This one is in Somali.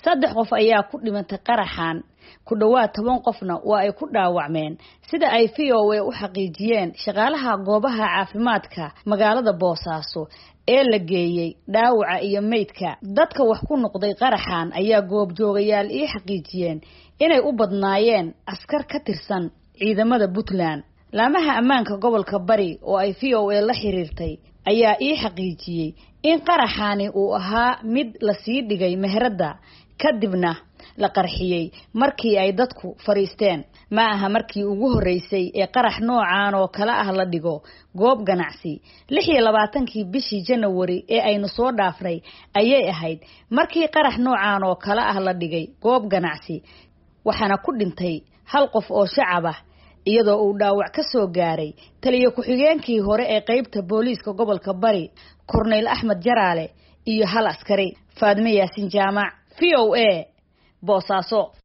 3 qof ayaa ku dhimantay qaraxan, ku dhawaad 10 qofna waa ay ku dhaawacmeen, sida ay VOA u xaqiijiyeen shaqaalaha goobaha caafimaadka magaalada Boosaaso ee la geeyey dhaawaca iyo meydka. Dadka wax ku noqday qaraxan ayaa goobjoogayaal ii xaqiijiyeen inay u badnaayeen askar ka tirsan ciidamada Puntland. Laamaha ammaanka gobolka Bari oo ay VOA la xiriirtay ayaa ii xaqiijiyey in qaraxani uu ahaa mid lasii dhigay meherada kadibna la qarxiyey markii ay dadku fariisteen. Ma aha markii ugu horeysay ee qarax noocan oo kale ah la dhigo goob ganacsi. 26-kii bishii Janawari ee aynu soo dhaafnay ayay ahayd markii qarax noocan oo kale ah la dhigay goob ganacsi, waxaana ku dhintay 1 qof oo shacab ah iyadoo uu dhaawac ka soo gaaray taliye ku-xigeenkii hore ee qeybta booliiska gobolka Bari, Korneyl Axmed Jaraale, iyo 1 askari. Faadme Yaasin Jaamac, VOA, Boosaaso.